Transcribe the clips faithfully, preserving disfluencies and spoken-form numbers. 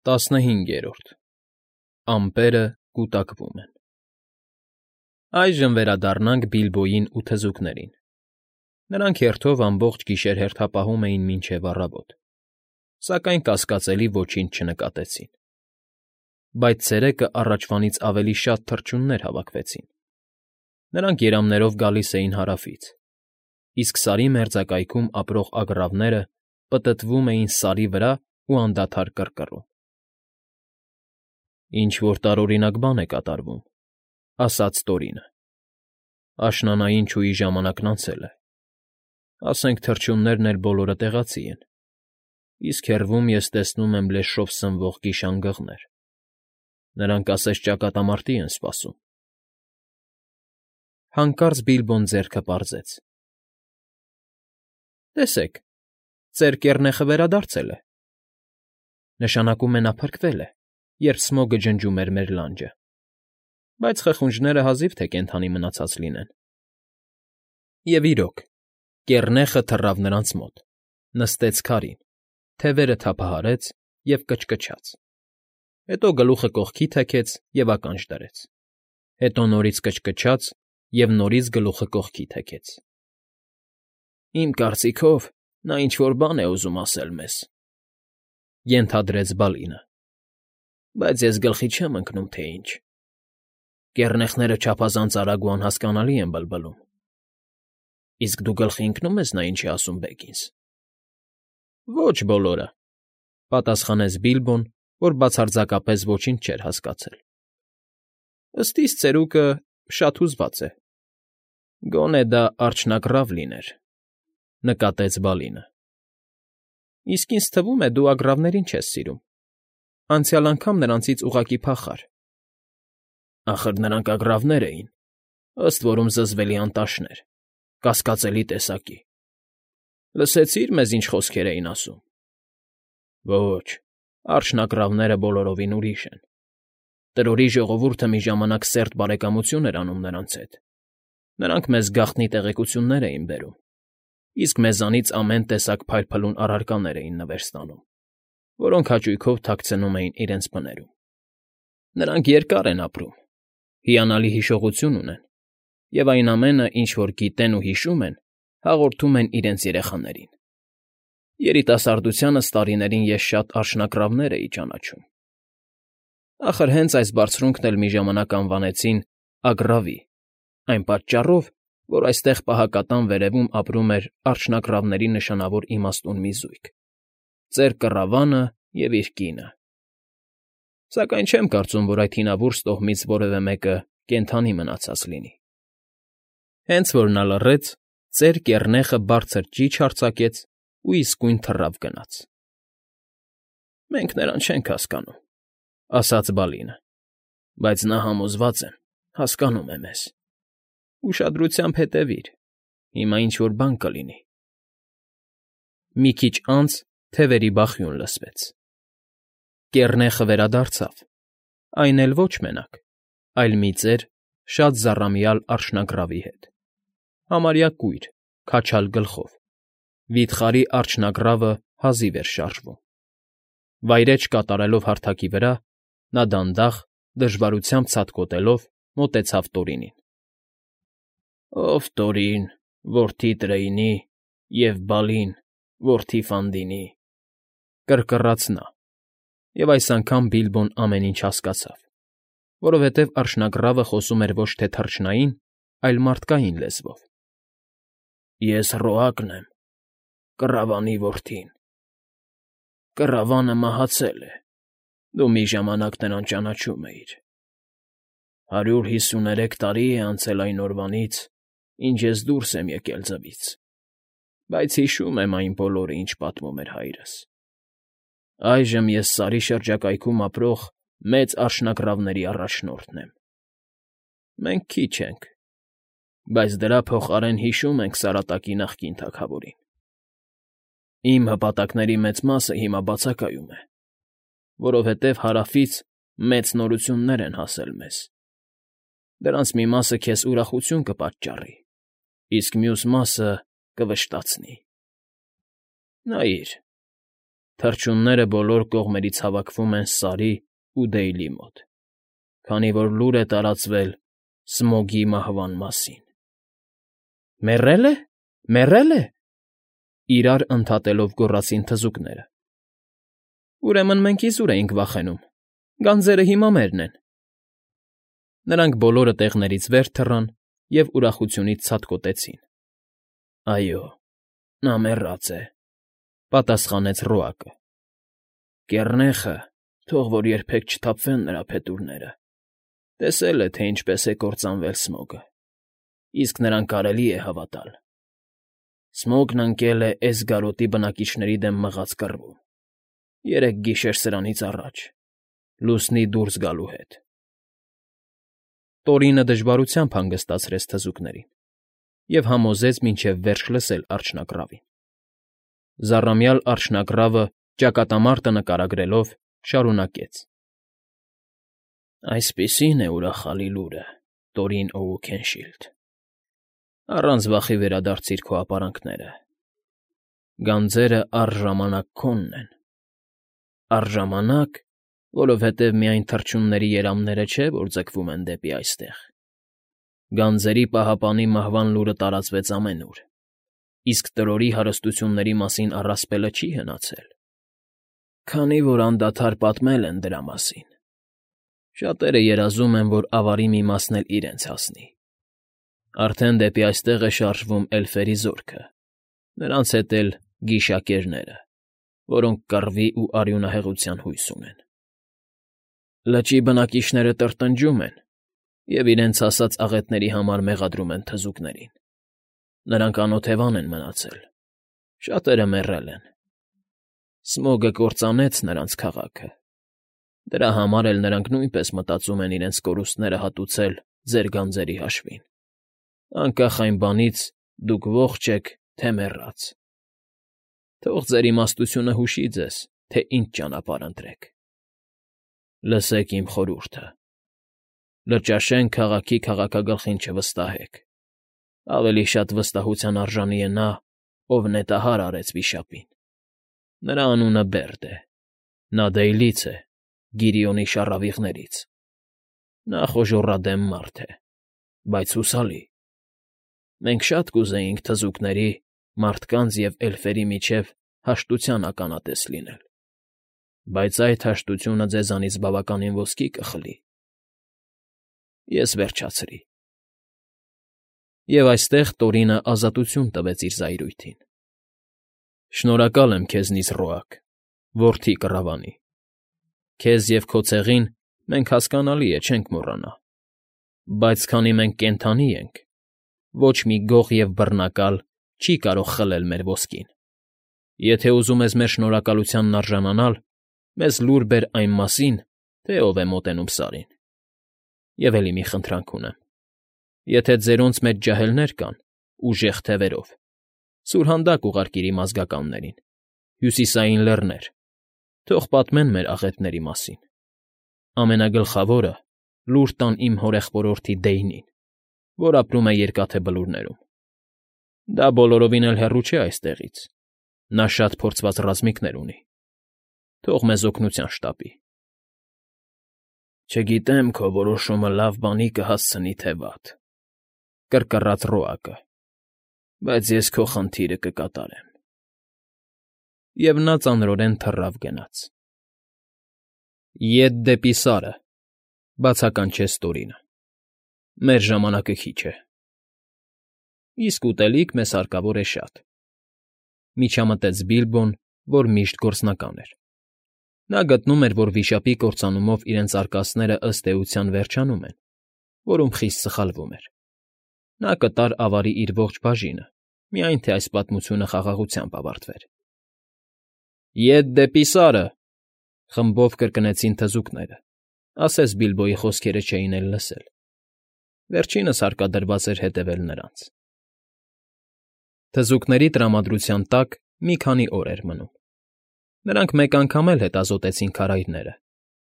Տասնհինգերորդ Ամպերը կուտակվում են Այժմ վերադառնանք Բիլբոյին ու թզուկներին. նրանք հերթով ամբողջ գիշեր հերթապահում էին մինչև առավոտ, սակայն կասկածելի ոչինչ չնկատեցին. Բայց ցերեկը առաջվանից ավելի շատ թռչուններ հավաքվեցին. նրանք երամներով գալիս էին հարավից, իսկ Սարի մերձակայքում ապրող ագռավները պտտվում էին Սարի վրա ու անդադար կռկռում։ «Ինչ֊որ տարօրինակ բան է կատարվում,֊ ասաց Տորինը։֊ Աշնանային չուի ժամանակն անցել է, ասենք թռչուններն էլ բոլորը տեղացի են, իսկ հեռվում ես տեսնում եմ լեշով սնվող գիշանգղներ, նրանք ասես ճակատամարտի են սպասում»։ Հանկարծ Բիլբոն ձեռքը պարզեց. «Տեսեք, ծեր կեռնեխը վերադարձել է. նշանակում է նա փրկվել է, երբ Սմոգը ջնջում էր մեր լանջը, բայց խխունջները հազիվ թե կենդանի մնացած լինեն»։ Եվ իրոք, կեռնեխը թռավ նրանց մոտ, նստեց քարին, թևերը թափահարեց և կչկչաց, հետո գլուխը կողքի թեքեց և ականջ դրեց, հետո նորից կչկչաց և նորից գլուխը կողքի թեքեց։ «Իմ կարծիքով, նա ինչ֊որ բան է ուզում ասել մեզ,֊ ենթադրեց Բալինը,֊ բայց ես գլխի չեմ ընկնում, թե ինչ. կեռնեխները չափազանց արագ ու անհասկանալի են բլբլում։ Իսկ դու գլխի ընկնո՞ւմ ես նա ինչ է ասում, Բեգինս»։ «Ոչ բոլորը,֊ պատասխանեց Բիլբոն, որ բացարձակապես ոչինչ չէր հասկացել։ ըստ իս ծերուկը շատ հուզված է»։ «Գոնե դա արջնագռավ լիներ,֊ նկատեց Բալինը։ Իսկ ինձ թվում է, դու ագռավներին չես սիրում. անցյալ անգամ նրանցից ուղղակի փախար»։ «Ախր նրանք ագռավներ էին, ըստ որում զզվելի անտաշներ, կասկածելի տեսակի։ Լսեցի՞ր, մեզ ինչ խոսքեր էին ասում»։ «Ոչ, արջնագռավները բոլորովին ուրիշ են. Տրորի ժողովուրդը մի ժամանակ սերտ բարեկամություն էր անում նրանց հետ, նրանք մեզ գաղտնի տեղեկություններ էին բերում, իսկ մեզանից ամեն տեսակ փայլփլուն առարկաներ էին նվեր ստանում, որոնք հաճույքով թաքցնում էին իրենց բներում։ Նրանք երկար են ապրում, հիանալի հիշողություն ունեն, և այն ամենը, ինչ որ գիտեն ու հիշում են, հաղորդում են իրենց երեխաներին։ Երիտասարդությանս տարիներին ես շատ արջնագռավներ էի ճանաչում։ Ախր հենց այս բարձունքն էլ մի ժամանակ անվանեցին Ագռավի, այն պատճառով, որ այստեղ պահակատան վերևում ապրում էր արջնագռավների նշանավոր իմաստուն մի զույգ՝ ծեր Կռավանը և իր կինը։ Սակայն չեմ կարծում, որ այդ հինավուրց տոհմից որևէ մեկը կենդանի մնացած լինի։ Հենց որ նա լռեց, ծեր կեռնեխը բարձր ճիչ արձակեց ու իսկույն թռավ գնաց։ «Մենք նրան չենք հասկանում,֊ ասաց Բալինը,֊ բայց նա, համոզված եմ, հասկանում է մեզ։ Ուշադրությամբ հետևիր, հիմա ինչ֊որ բան կլինի»։ Մի քիչ անց թևերի բախյուն լսվեց։ Կեռնեխը վերադարձավ, այն էլ ոչ մենակ, այլ մի ծեր, շատ զառամյալ արջնագռավի հետ, համարյա կույր, քաչալ գլխով, վիթխարի արջնագռավը հազիվ էր շարժվում։ Վայրէջք կատարելով հարթակի վրա, նա դանդաղ, դժվարությամբ ցատկոտելով, մոտեցավ Տորինին։ «Ով Տորին, որդի Տրեյնի, և Բալին, որդի Ֆանդիի,֊ կռկռաց նա, և այս անգամ Բիլբոն ամեն ինչ հասկացավ, որովհետև արջնագռավը խոսում էր ոչ թե թռչնային, այլ մարդկային լեզվով։ «Ես Ռոակն եմ, Կռավանի որդին։ Կռավանը մահացել է, դու մի ժամանակ նրան ճանաչում էիր։ Հարյուր հիսուներեք տարի է անցել այն օրվանից, ինչ ես դուրս եմ եկել ձվից, բայց հիշում եմ այն բոլորը, ինչ պատմում էր հայրս։ Այժմ ես Սարի շրջակայքում ապրող մեծ արջնագռավների առաջնորդն եմ։ Մենք քիչ ենք, բայց դրա փոխարեն հիշում ենք Սարատակի նախկին թագավորին։ Իմ հպատակների մեծ մասը հիմա բացակայում է, որովհետև Հարավից մեծ նորություններ են հասել մեզ։ Դրանց մի մասը քեզ ուրախություն կպատճառի, իսկ մյուս մասը կվշտացնի։ Նայիր, Թռչունները բոլոր կողմերից հավաքվում են Սարի ու Դեյլի մոտ, քանի որ լուր է տարածվել Սմոգի մահվան մասին։ ֊ Մեռե՞լ է, մեռե՞լ է,֊ իրար ընդհատելով գոռացին թզուկները։ ֊ Ուրեմն մենք իզուր էինք վախենում, գանձերը հիմա մերն են։ Նրանք բոլորը տեղներից վեր թռան և ուրախությունից ցատկոտեցին։ ֊ Այո, նա մեռած է,֊ պատասխանեց Ռոակը։ ֊ Կեռնեխը, թող որ երբեք չթափվեն նրա փետուրները, տեսել է, թե ինչպես է կործանվել Սմոգը, իսկ նրան կարելի է հավատալ։ Սմոգն ընկել է Էսգարոտի բնակիչների դեմ մղած կռվում, երեք գիշեր սրանից առաջ, լուսնի դուրս գալու հետ։ Տորինը դժվարությամբ հանգստացրեց թզուկներին և համոզեց մինչև վերջ լսել արջնագռավին։ Զառամյալ արջնագռավը, ճակատամարտը նկարագրելով, շարունակեց. Այսպիսին է ուրախալի լուրը, Տորին Օուքենշիլդ, առանց վախի վերադարձիր քո ապարանքները. գանձերը առժամանակ քոնն են, առժամանակ, որովհետև միայն թռչունների երամները չէ, որ ձգվում են դեպի այստեղ. գանձերի պահապանի մահվան լուրը տարածվեց ամենուր, իսկ Տրորի հարստությունների մասին առասպելը չի հնացել, քանի որ անդադար պատմել են դրա մասին։ Շատերը երազում են, որ ավարի մի մասն էլ իրենց հասնի։ Արդեն դեպի այստեղ է շարժվում էլֆերի զորքը, նրանց հետ էլ գիշակերները, որոնք կռվի ու արյունահեղության հույս ունեն։ Լճի բնակիչները տրտնջում են և իրենց ասած աղետների համար մեղադրում են թզուկներին։ Նրանք անօթևան են մնացել, շատերը մեռել են։ Սմոգը կործանեց նրանց քաղաքը, դրա համար էլ նրանք նույնպես մտածում են իրենց կորուստները հատուցել ձեր գանձերի հաշվին, անկախ այն բանից՝ դուք ողջ եք, թե մեռած։ Թող ձեր իմաստությունը հուշի ձեզ, թե ինչ ճանապարհ ընտրեք։ Լսեք իմ խորհուրդը. Լճաշեն քաղաքի քաղաքագլխին չվստահեք, ավելի շատ վստահության արժանի է նա, ով նետահար արեց վիշապին։ Նրա անունը Բերդ է, նա Դեյլից է, Գիրիոնի շառավիղներից։ Նա խոժոռադեմ մարդ է, բայց հուսալի։ Մենք շատ կուզեինք թզուկների, մարդկանց և էլֆերի միջև հաշտության ականատես լինել, բայց այդ հաշտությունը ձեզանից բավականին ոսկի կխլի։ Ես վերջացրի։ Եվ այստեղ Տորինը ազատություն տվեց իր զայրույթին. Շնորհակալ եմ քեզնից, Ռոակ, որդի կռավանի։ Քեզ և քո ցեղին մենք, հասկանալի է, չենք մոռանա, բայց քանի մենք կենդանի ենք, ոչ մի գող և բռնակալ չի կարող խլել մեր ոսկին։ Եթե ուզում ես մեր շնորհակալությանն արժանանալ, մեզ լուր բեր այն մասին, թե ով է մոտենում Սարին։ Եվ էլի մի խնդրանք ունեմ. եթե ձերոնց մեջ ջահելներ կան, ուժեղ թևերով, սուրհանդակ ուղարկիր իմ ազգականներին, հյուսիսային լեռներ, թող պատմեն մեր աղետների մասին։ Ամենագլխավորը լուր տան իմ հորեղբորորդի Դեյնին, որ ապրում է Երկաթե Բլուրներում։ Դա բոլորովին էլ հեռու չէ այստեղից, նա շատ փորձված ռազմիկներ ունի, թող մեզ օգնության շտապի։ Չգիտեմ քո որոշումը լավ բանի կհասցնի, թե վատ,֊ կռկռաց Ռոակը,֊ բայց ես քո խնդիրը կկատարեմ։ Եվ նա ծանրորեն թռավ գնաց։ Ետ դեպի Սարը,֊ բացականչեց Տորինը,֊ մեր ժամանակը քիչ է։ Իսկ ուտելիք մեզ հարկավոր է շատ,֊ միջամտեց Բիլբոն, որ միշտ գործնական էր։ Նա գտնում էր, որ վիշապի կործանումով իրենց արկածները ըստ էության վերջանում են, որում խիստ սխալվում էր։ Նա կտար ավարի իր ողջ բաժինը, միայն թե այս պատմությունը խաղաղությամբ ավարտվեր։ Ետ դեպի Սարը,֊ խմբով կրկնեցին թզուկները, ասես Բիլբոյի խոսքերը չէին էլ լսել։ Վերջինս հարկադրված էր հետևել նրանց։ Թզուկների տրամադրության տակ մի քանի օր էր մնում։ Նրանք մեկ անգամ էլ հետազոտեցին քարայրները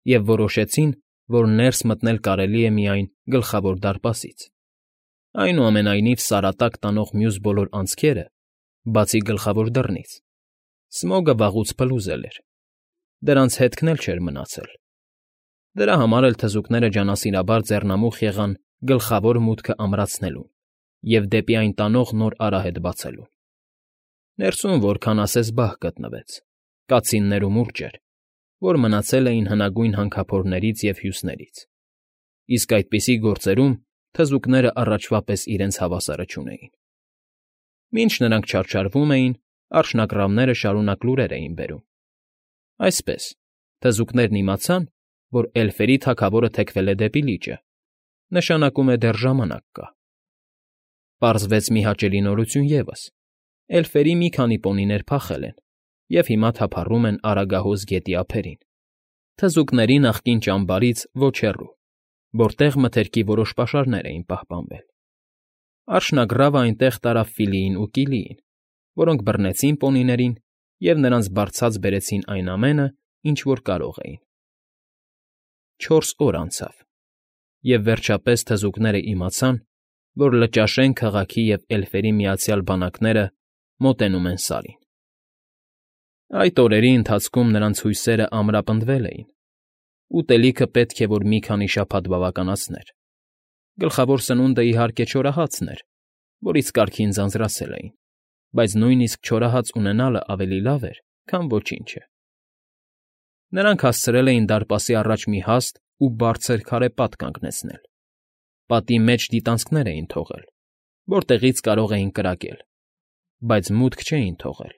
և որոշեցին, որ ներս մտնել կարելի է միայն Գլխավոր դարպասից։ Այնուամենայնիվ Սարատակ տանող մյուս բոլոր անցքերը, բացի գլխավոր դռնից, Սմոգը վաղուց փլուզել էր, դրանց հետքն էլ չէր մնացել։ Դրա համար էլ թզուկները ջանասիրաբար ձեռնամուխ եղան գլխավոր մուտքը ամրացնելուն և դեպի այն տանող նոր արահետ բացելուն։ Ներսում որքան ասես բահ գտնվեց, կացիններ ու մուրճեր, որ մնացել էին հնագույն հանքափորներից և հյուսներից, իսկ այդպիսի գործերում թզուկները առաջվա պես իրենց հավասարը չունեին։ Մինչ նրանք չարչարվում էին, արջնագռավները շարունակ լուրեր էին բերում։ Այսպես, թզուկներն իմացան, որ էլֆերի թագավորը թեքվել է դեպի լիճը, նշանակում է դեռ ժամանակ կա։ Պարզվեց մի հաճելի նորություն ևս. էլֆերի մի քանի պոնիներ փախել են և հիմա թափառում են Արագահոս գետի ափերին, թզուկների նախկին ճամբարից ոչ հեռու, որտեղ մթերքի որոշ պաշարներ էին պահպանվել։ Արջնագռավը այնտեղ տարավ Ֆիլիին ու Կիլիին, որոնք բռնեցին պոնիներին և նրանց բարձած բերեցին այն ամենը, ինչ որ կարող էին։ Չորս օր անցավ, և վերջապես թզուկները իմացան, որ Լճաշեն քաղաքի և էլֆերի միացյալ բանակները մոտենում են Սարին։ Այդ օրերի ընթացքում նրանց հույսերը ամրապնդվել էին. ուտելիքը պետք է որ մի քանի շաբաթ բավականացներ։ Գլխավոր սնունդը, իհարկե, չորահացն էր, որից կարգին ձանձրացել էին, բայց նույնիսկ չորահաց ունենալը ավելի լավ էր, քան ոչինչը։ Նրանք հասցրել էին դարպասի առաջ մի հաստ ու բարձր քարե պատ կանգնեցնել։ Պատի մեջ դիտանցքներ էին թողել, որտեղից կարող էին կրակել, բայց մուտք չէին թողել։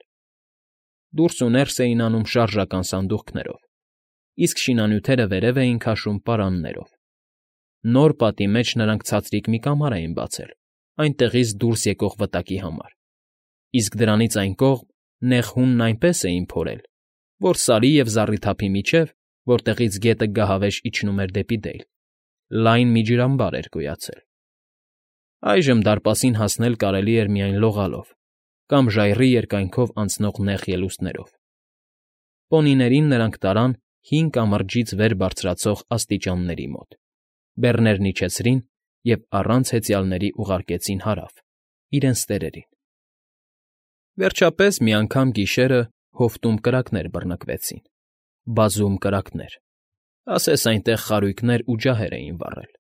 Դուրս ու ներս էին անում շարժական սանդուղքներով, իսկ շինանյութերը վերև էին քաշում պարաններով։ Նոր պատի մեջ նրանք ցածրիկ մի կամար էին բացել այնտեղից դուրս եկող վտակի համար, իսկ դրանից այն կողմ նեղ հունն այնպես էին փորել, որ Սարի և զառիթափի միջև, որտեղից գետը գահավեժ իջնում էր դեպի Դեյլ, լայն մի ջրամբար էր գոյացել։ Այժմ դարպասին հասնել կարելի էր միայն լողալով կամ ժայռի երկայնքով անցնող նեղ ելուստներով։ Պոնիներին նրանք տարան հին կամրջից վեր բարձրացող աստիճանների մոտ, բեռներն իջեցրին և առանց հեծյալների ուղարկեցին հարավ, իրենց տերերին։ Վերջապես մի անգամ գիշերը հովտում կրակներ բռնկվեցին, բազում կրակներ, ասես այնտեղ խարույկներ ու ջահեր էին վառել։ ֊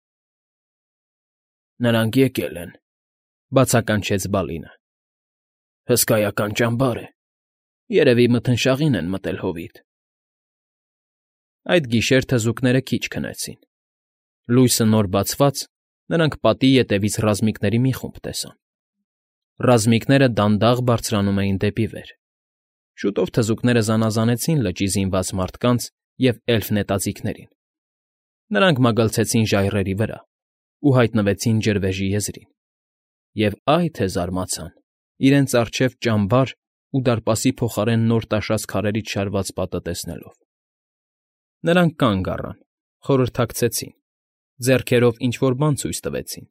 Նրանք եկել են,֊ բացականչեց Բալինը։ ֊ Հսկայական ճամբար է, երևի մթնշաղին են մտել հովիտ։ Այդ գիշեր թզուկները քիչ քնեցին։ Լույսը նոր բացված, նրանք պատի ետևից ռազմիկների մի խումբ տեսան։ Ռազմիկները դանդաղ բարձրանում էին դեպի վեր։ Շուտով թզուկները զանազանեցին լճի զինված մարդկանց և էլֆ նետաձիգներին։ Նրանք մագլցեցին ժայռերի վրա ու հայտնվեցին ջրվեժի եզրին։ Եվ այ թե զարմացան՝ իրենց առջև ճամբար ու դարպասի փոխարեն նոր տաշած քարերից շարված պատը տեսնելով։ Նրանք կանգ առան, խորհրդակցեցին, ձեռքերով ինչ֊որ բան ցույց տվեցին,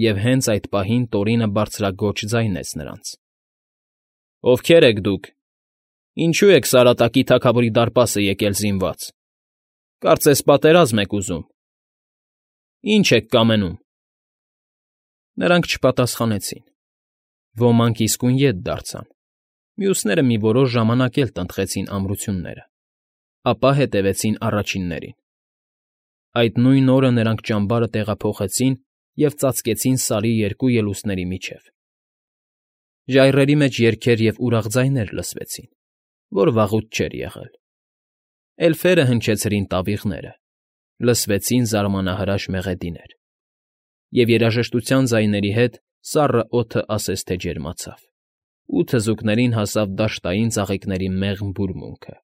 և հենց այդ պահին Տորինը բարձրաձոչ ձայնեց նրանց. ֊ Ովքե՞ր եք դուք, ինչո՞ւ եք Սարատակի թագավորի դարպասը եկել զինված, կարծես պատերազմ եք ուզում, ի՞նչ եք կամենում։ Նրանք չպատասխանեցին։ Ոմանք իսկույն ետ դարձան, մյուսները մի որոշ ժամանակ էլ տնտղեցին ամրությունները, ապա հետևեցին առաջիններին։ Այդ նույն օրը նրանք ճամբարը տեղափոխեցին և ծածկեցին Սարի երկու ելուստների միջև։ Ժայռերի մեջ երգեր և ուրախ ձայներ լսվեցին, որ վաղուց չէր եղել։ Էլֆերը հնչեցրին տավիղները, լսվեցին զարմանահրաշ մեղեդիներ, և երաժշտության ձայների հետ սառը օդը ասես թե ջերմացավ, ու թզուկներին հասավ դաշտային ծաղիկների մեղմ բուրմունքը,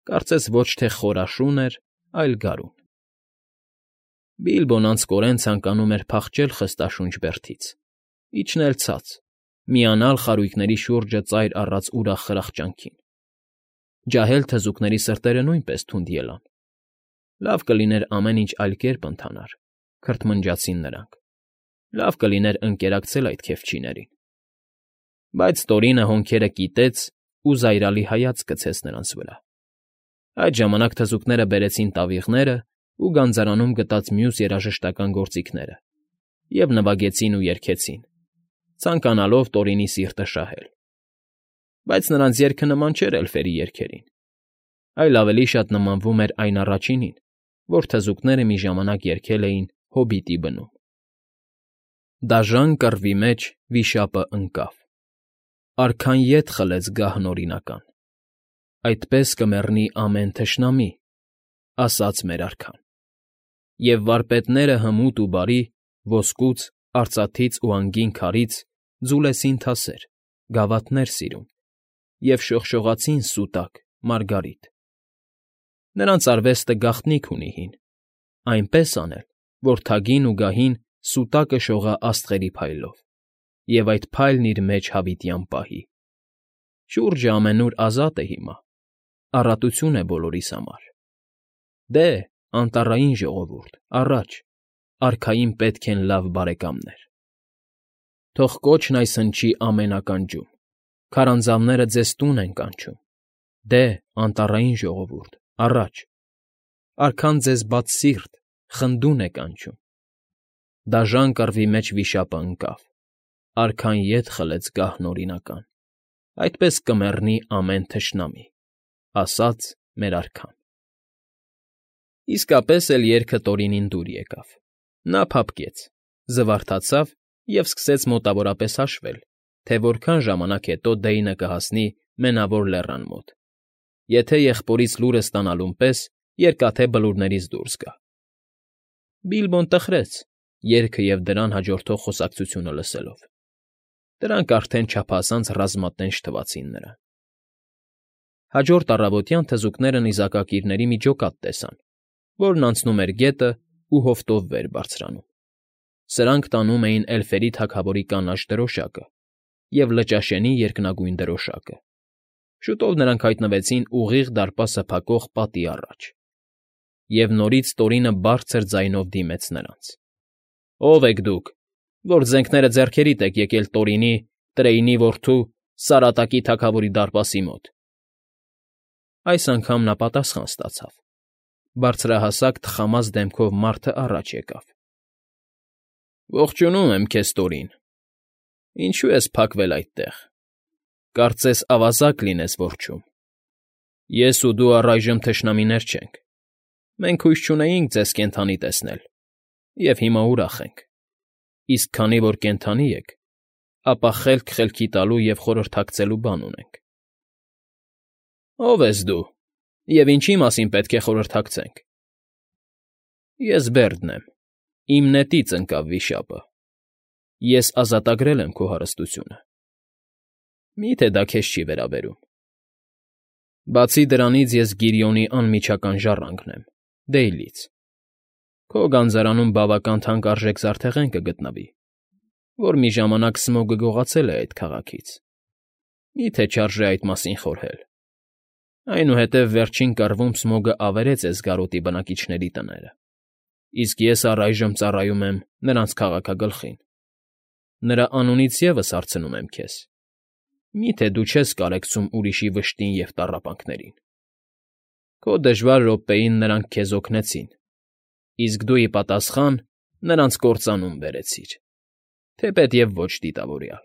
կարծես ոչ թե խոր աշուն էր, այլ գարուն։ Բիլբոն անձկորեն ցանկանում էր փախչել խստաշունչ բերդից, իջնել ցած, միանալ խարույկների շուրջը ծայր առած ուրախ խրախճանքին։ Ջահել թզուկների սրտերը նույնպես թունդ ելան։ Լավ կլիներ ամեն ինչ այլ կերպ ընթանար, քրթմնջացին նրանք։ Լավ կլիներ ընկերակցել այդ քեֆչիներին։ Բայց Տորինը հոնքերը կիտեց ու զայրալի հայացք գցեց նրանց վրա։ Այդ ժամանակ թզուկները բերեցին տավիղները ու գանձարանում գտած մյուս երաժշտական գործիքները և նվագեցին ու երգեցին, ցանկանալով Տորինի սիրտը շահել։ բայց նրանց երգը նման չէր էլֆերի երգերին, այլ ավելի շատ նմանվում էր այն առաջինին, որ թզուկները մի ժամանակ երգել էին հոբիտի բնում. Դաժան կռվի մեջ վիշապը ընկավ, արքան ետ խլեց գահն օրինական, այդպես կմեռնի ամեն թշնամի, ասաց մեր արքան, և վարպետները հմուտ ու բարի ոսկուց, արծաթից ու անգին քարից ձուլեցին թասեր, գավաթներ սիրուն և շողշողացին սուտակ, մարգարիտ. նրանց արվեստը գաղտնիք ունի հին, այնպես անել, որ թագին ու գահին սուտակը շողա աստղերի փայլով, և այդ փայլն իր մեջ հավիտյան պահի. շուրջը ամենուր ազատ է հիմա, առատություն է բոլորիս համար. դե, անտառային ժողովուրդ, առաջ, արքային պետք են լավ բարեկամներ. թող կոչն այս հնչի ամեն ականջում, քարանձավները ձեզ տուն են կանչում, դե, անտառային ժողովուրդ, առաջ, արքան ձեզ բաց սիրտ, խնդուն է կանչում, դաժան կռվի մեջ վիշապը ընկավ, արքան ետ խլեց գահն օրինական, այդպես կմեռնի ամեն թշնամի, ասաց մեր արքան։ Իսկապես էլ երգը Տորինին դուր եկավ, նա փափկեց, զվարթացավ և սկսեց մոտավորապես հաշվել, թե որքան ժամանակ հետո Դեյնը կհասնի Մենավոր Լեռան մոտ, եթե եղբորից լուրը ստանալուն պես երկաթե բլուրներից դուրս գա։ Բիլբոն տխրեց, երգը և դրան հաջորդող խոսակցությունը լսելով. դրանք արդեն չափազանց ռազմատենչ թվացին նրան։ Հաջորդ առավոտյան թզուկները նիզակակիրների մի ջոկատ տեսան, որն անցնում էր գետն ու հովտով վեր բարձրանում։ Սրանք տանում էին էլֆերի թագավորի կանաչ դրոշակը և Լճաշենի երկնագույն դրոշակը։ Շուտով նրանք հայտնվեցին ուղիղ դարպասը փակող պատի առաջ, և նորից Տորինը բարձր ձայնով դիմեց նրանց. ով եք դուք, որ զենքները ձեռքերիդ եք եկել Տորինի, Տրեյնի որդու, Սարատակի թագավորի դարպասի մոտ։ Այս անգամ նա պատասխան ստացավ. բարձրահասակ թխամազ դեմքով մարդը առաջ եկավ. Ողջունում եմ քեզ, Տորին, ինչո՞ւ ես փակվել այդտեղ, կարծես ավազակ լինես որջում, ես ու դու առայժմ թշնամիներ չենք, մենք հույս չունեինք ձեզ կենդանի տեսնել, և հիմա ուրախ ենք, իսկ քանի որ կենդանի եք, ապա խելք խելքի տալու և խորհրդակցելու բան ունենք։ Ո՞վ ես դու, և ինչի մասին պետք է խորհրդակցենք։ Ես Բերդն եմ, իմ նետից ընկավ վիշապը, ես ազատագրել եմ քո հարստությունը։ Մի՞թե դա քեզ չի վերաբերում։ Բացի դրանից ես Գիրիոնի անմիջական ժառանգն եմ, Դեյլից։ Քո գանձարանում բավական թանկարժեք զարդեղեն կգտնվի, որ մի ժամանակ Սմոգը գողացել է այդ քաղաքից։ Մի՞թե չարժե այդ մասին խորհել։ Այնուհետև վերջին կռվում Սմոգը ավերեց Էսգարոտի բնակիչների տները, իսկ ես առայժմ ծառայում եմ նրանց քաղաքագլխին։ Նրա անունից ևս հարցնում եմ քեզ. մի՞թե դու չես կարեկցում ուրիշի վշտին և տառապանքներին։ Քո դժվար րոպեին նրանք քեզ օգնեցին, իսկ դու ի պատասխան նրանց կործանում բերեցիր, թեպետև ոչ դիտավորյալ։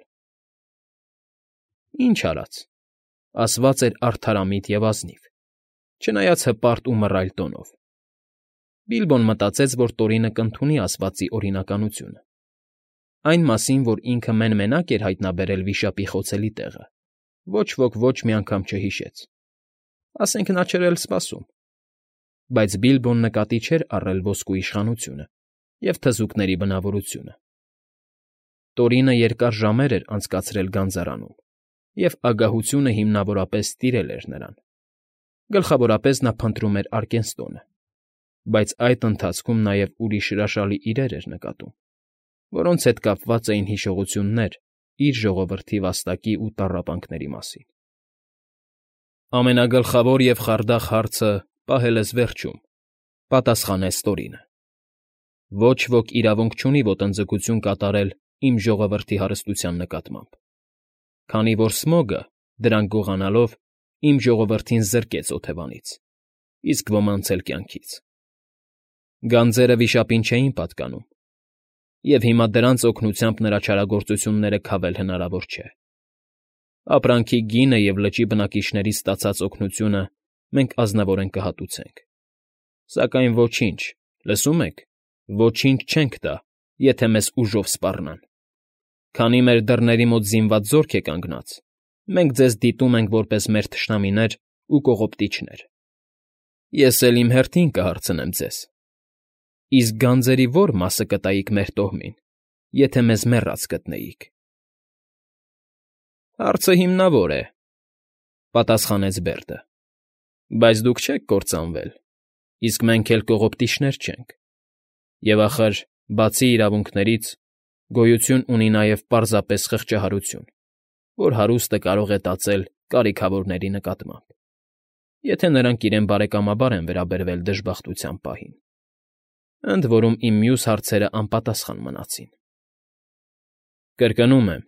Ինչ արած, ասված էր արդարամիտ և ազնիվ, չնայած հպարտ ու մռայլ տոնով։ Բիլբոն մտածեց, որ Տորինը կընդունի ասվածի օրինականությունը, այն մասին, որ ինքը մեն֊մենակ էր հայտնաբերել վիշապի խոցելի տեղը, ոչ ոք ոչ մի անգամ չհիշեց, ասենք նա չէր էլ սպասում, բայց Բիլբոն նկատի չէր առել ոսկու իշխանությունը և թզուկների բնավորությունը։ Տորինը երկար ժամեր էր անցկացրել գանձարանում, և ագահությունը հիմնավորապես տիրել էր նրան, գլխավորապես նա փնտրում էր Արկենստոնը, բայց այդ ընթացքում նաև ուրիշ հրաշալի իրեր էր նկատում, որոնց հետ կապված էին հիշողություններ իր ժողովրդի վաստակի ու տառապանքների մասին։ Ամենագլխավոր և խարդախ հարցը պահել ես վերջում, պատասխանեց Տորինը։ Ոչ ոք իրավունք չունի ոտնձգություն կատարել իմ ժողովրդի հարստության նկատմամբ, քանի որ Սմոգը, դրանք գողանալով, իմ ժողովրդին զրկեց օթևանից, իսկ ոմանց էլ կյանքից։ Գանձերը վիշապին չէին պատկանում, և հիմա դրանց օգնությամբ նրա չարագործությունները քավել հնարավոր չէ։ Ապրանքի գինը և լճի բնակիչներից ստացած օգնությունը մենք ազնվորեն կհատուցենք, սակայն ոչինչ, լսում եք, ոչինչ չենք տա, եթե մեզ ուժով սպառնան. քանի մեր դռների մոտ զինված զորք է կանգնած, մենք ձեզ դիտում ենք որպես մեր թշնամիներ ու կողոպտիչներ։ Ես էլ իմ հերթին կհարցնեմ ձեզ. իսկ գանձերի ո՞ր մասը կտայիք մեր տոհմին, եթե մեզ մեռած գտնեիք։ Հարցը հիմնավոր է, պատասխանեց Բերդը, բայց դուք չեք կործանվել, իսկ մենք էլ կողոպտիչներ չենք, և, ախր, բացի իրավունքներից, գոյություն ունի նաև պարզապես խղճահարություն, որ հարուստը կարող է տածել կարիքավորների նկատմամբ, եթե նրանք իրեն բարեկամաբար են վերաբերվել դժբախտության պահին, ընդ որում իմ մյուս հարցերը անպատասխան մնացին։ Կրկնում եմ,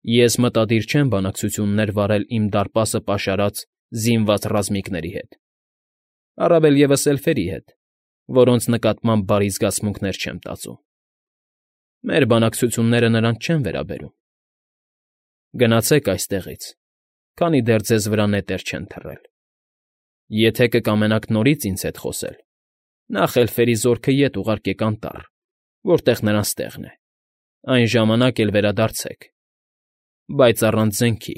ես մտադիր չեմ բանակցություններ վարել իմ դարպասը պաշարած զինված ռազմիկների հետ, առավել ևս էլֆերի հետ, որոնց նկատմամբ բարի զգացմունքներ չեմ տածում։ Մեր բանակցությունները նրանց չեն վերաբերում։ Գնացեք այստեղից, քանի դեռ ձեզ վրա նետեր չեն թռել։ Եթե կկամենաք նորից ինձ հետ խոսել, նախ էլֆերի զորքը ետ ուղարկեք անտառ, որտեղ նրանց տեղն է, այն ժամանակ էլ վերադարձեք, բայց առանց զենքի։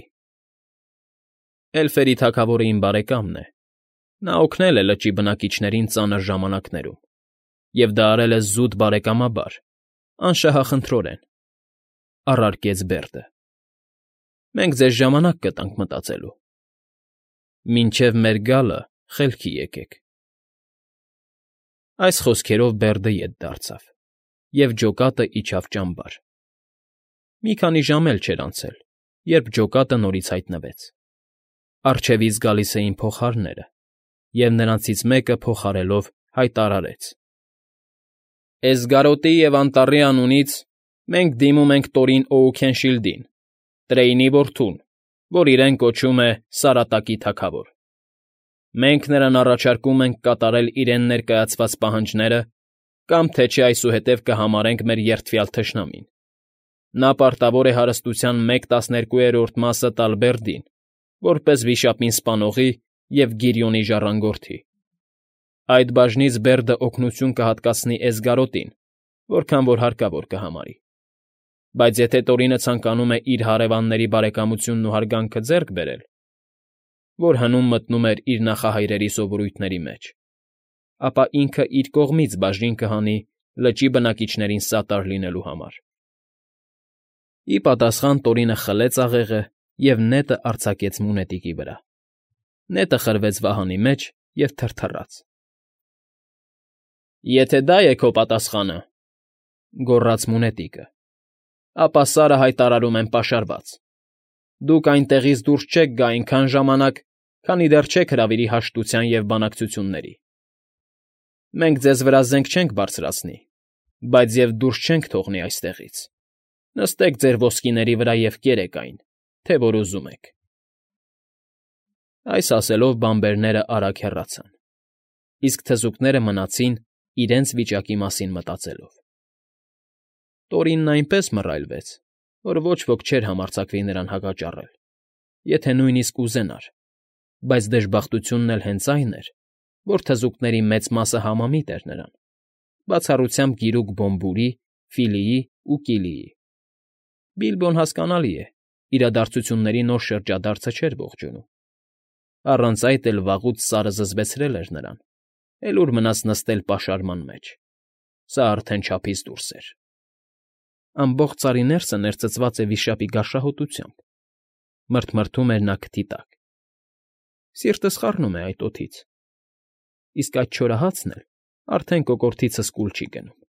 Էլֆերի թագավորը իմ բարեկամն է, նա օգնել է լճի բնակիչներին ծանր ժամանակներում, և դա արել է զուտ բարեկամաբար, անշահախնդրորեն,֊ առարկեց Բերդը։ Մենք ձեզ ժամանակ կտանք մտածելու։ Մինչև մեր գալը խելքի եկեք։ Այս խոսքերով Բերդը ետ դարձավ, և ջոկատը իջավ ճամբար։ Մի քանի ժամ էլ չէր անցել, երբ ջոկատը նորից հայտնվեց։ Առջևից գալիս էին փողահարները, և նրանցից մեկը փողահարելով հայտարարեց. Էսգարոտի և Անտառի անունից մենք դիմում ենք Տորին Օուքենշիլդին, Տրեյնի որդուն, որ իրեն կոչում է Սարատակի թագավոր։ Մենք նրան առաջարկում ենք կատարել իրեն ներկայացված պահանջները կամ թե չէ այսուհետև կհամարենք մեր երդվյալ թշնամին։ Նա պարտավոր է հարստության մեկ տասներկուերորդ մասը տալ Բերդին, որպես վիշապին սպանողի և Գիրիոնի ժառանգորդի։ Այդ բաժնից Բերդը օգնություն կհատկացնի Էսգարոտին, որքան որ հարկավոր կհամարի։ Բայց եթե Տորինը ցանկանում է իր հարևանների բարեկամությունն ու հարգանքը ձեռք բերել, որ հնում մտնում էր իր նախահայրերի սովորույթների մեջ, ապա ինքը իր կողմից բաժին կհանի լճի բնակիչներին սատար լինելու համար։ Ի պատասխան Տորինը խլեց աղեղը և նետը արձակեց մունետիկի վրա։ Նետը խրվեց վահանի մեջ և թրթռաց։ Եթե դա է քո պատասխանը,֊ գոռաց մունետիկը,֊ ապա Սարը հայտարարում եմ պաշարված։ Դուք այնտեղից դուրս չեք գա այնքան ժամանակ, քանի դեռ չեք հրավիրի հաշտության և բանակցությունների։ Մենք ձեզ վրա զենք չենք բարձրացնի, բայց և դուրս չենք թողնի այստեղից։ Նստեք ձեր ոսկիների վրա և կերեք այն, թե որ ուզում եք։ Այս ասելով բանբերներն արագ հեռացան, իսկ թզուկները մնացին իրենց վիճակի մասին մտածելով։ Տորինն այնպես մռայլվեց, որ ոչ ոք չէր համարձակվի նրան հակճառել, եթե նույնիսկ ուզենար, բայց դժբախտությունն էլ հենց այն էր, որ թզուկների մեծ մասը համամիտ էր նրան, բացառությամբ գիրուկ Բոմբուրի, Ֆիլիի ու Կիլիի։ Բիլբոն, հասկանալի է, իրադարձությունների նոր շրջադարձը չէր ողջունում։ Առանց այդ էլ վաղուց Սարը զզվեցրել էր նրան, էլ ուր մնաց նստել պաշարման մեջ։ Սա արդեն չափից դուրս էր։ Ամբողջ Սարի ներսը ներծծված է վիշապի գարշահոտությամբ,֊ մռթմռթում էր նա քթի տակ։ Սիրտս խառնում է այդ օդից, իսկ այդ չորահացն էլ արդեն կոկորդիցս կուլ չի գնում։